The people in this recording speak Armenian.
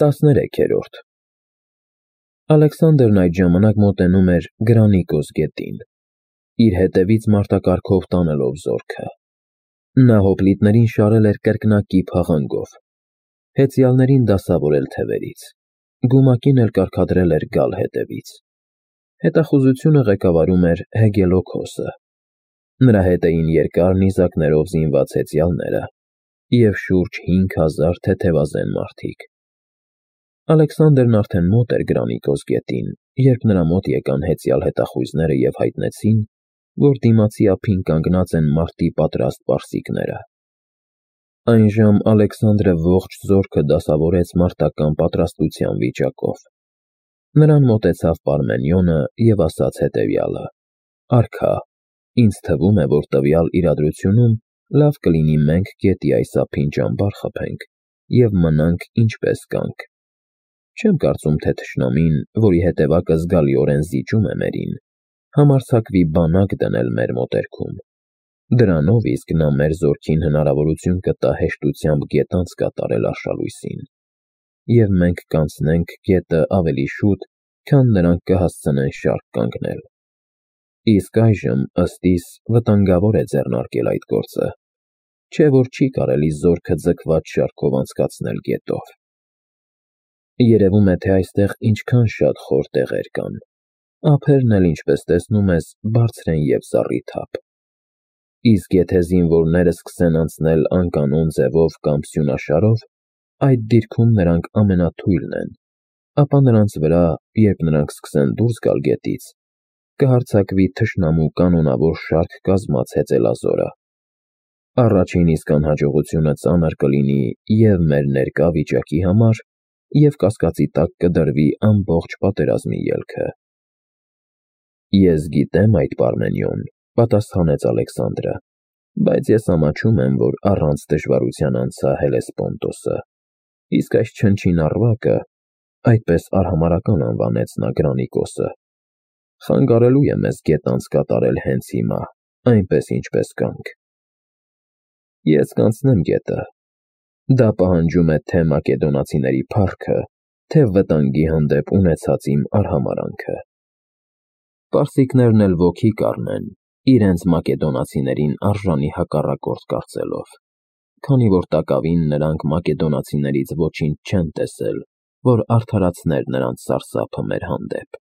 13-րդ Ալեքսանդրն այդ ժամանակ մոտենում էր Գրանիկոս գետին, իր հետևից մարտակառքով տանելով զորքը։ Նա հոպլիտներին շարել էր կրկնակի փաղանգով, հեծյալներին դասավորել թևերից, գումակին էլ կարգադրել էր գալ հետևից։ Հետախուզությունը ղեկավարում էր Հեգելոքոսը։ Նրա հետ էին երկար նիզակներով զինված հեծյալները և շուրջ 5000 թեթևազեն մարդիկ։ Ալեքսանդրն արդեն մոտ էր Գրանիկոս գետին, երբ նրա մոտ եկան հեծյալ հետախույզները և հայտնեցին, որ դիմացի ափին կանգնած են մարտի պատրաստ պարսիկները։ Այնժամ Ալեքսանդրը ողջ զորքը դասավորեց մարտական պատրաստության վիճակով։ Նրան մոտեցավ Պարմենիոնը և ասաց հետևյալը. «Արքա, ինձ թվում է, որ տվյալ իրադրությունում լավ կլինի մենք գետի այս ափին ճամբար խփենք և մնանք ինչպես կանք։ Չեմ կարծում, թե թշնամին, որի հետևակը զգալիորեն զիջում է մերին, համարձակվի բանակ դնել մեր մոտերքում։ Դրանով իսկ նա մեր զորքին հնարավորություն կտա հեշտությամբ գետ անց կատարել արշալույսին, և մենք կանցնենք գետը ավելի շուտ, քան նրանք կհասցնեն շարք կանգնել։ Իսկ այժմ, ըստ իս, վտանգավոր է ձեռնարկել այդ գործը, չէ՞ որ չի կարելի զորքը ձգված շարքով անցկացնել գետով։ Երևում է, թե այստեղ ինչքան շատ խոր տեղեր կան, ափերն էլ, ինչպես տեսնում ես, բարձր են և զառիթափ։ Իսկ եթե զինվորները սկսեն անցնել անկանոն ձևով կամ սյունաշարով, այդ դիրքում նրանք ամենաթույլն են, ապա նրանց վրա, երբ նրանք սկսեն դուրս գալ գետից, կհարձակվի թշնամու կանոնավոր շարք կազմած հեծելազորը։ Առաջին իսկ անհաջողությունը ծանր կլինի և մեր ներկա վիճակի համար, և կասկածի տակ կդրվի ամբողջ պատերազմի ելքը»։ «Ես գիտեմ այդ, Պարմենիոն,» պատասխանեց Ալեքսանդրը, «բայց ես ամաչում եմ, որ առանց դժվարության անցա Հելեսպոնտոսը, իսկ այս չնչին առվակը (այդպես արհամարհական անվանեց նա Գրանիկոսը) խանգարելու է մեզ գետ անց կատարել հենց հիմա, այնպես, ինչպես կանք։ Ես կանցնեմ գետը։ Դա պահանջում է թե մակեդոնացիների փառքը, թե վտանգի հանդեպ ունեցած իմ արհամարհանքը։ Պարսիկներն էլ ոգի կառնեն, իրենց մակեդոնացիներին արժանի հակառակորդ կարծելով, քանի որ տակավին նրանք մակեդոնացիներից ոչինչ չեն տեսել, որ արդարացներ նրանց սարսափը մեր հանդեպ։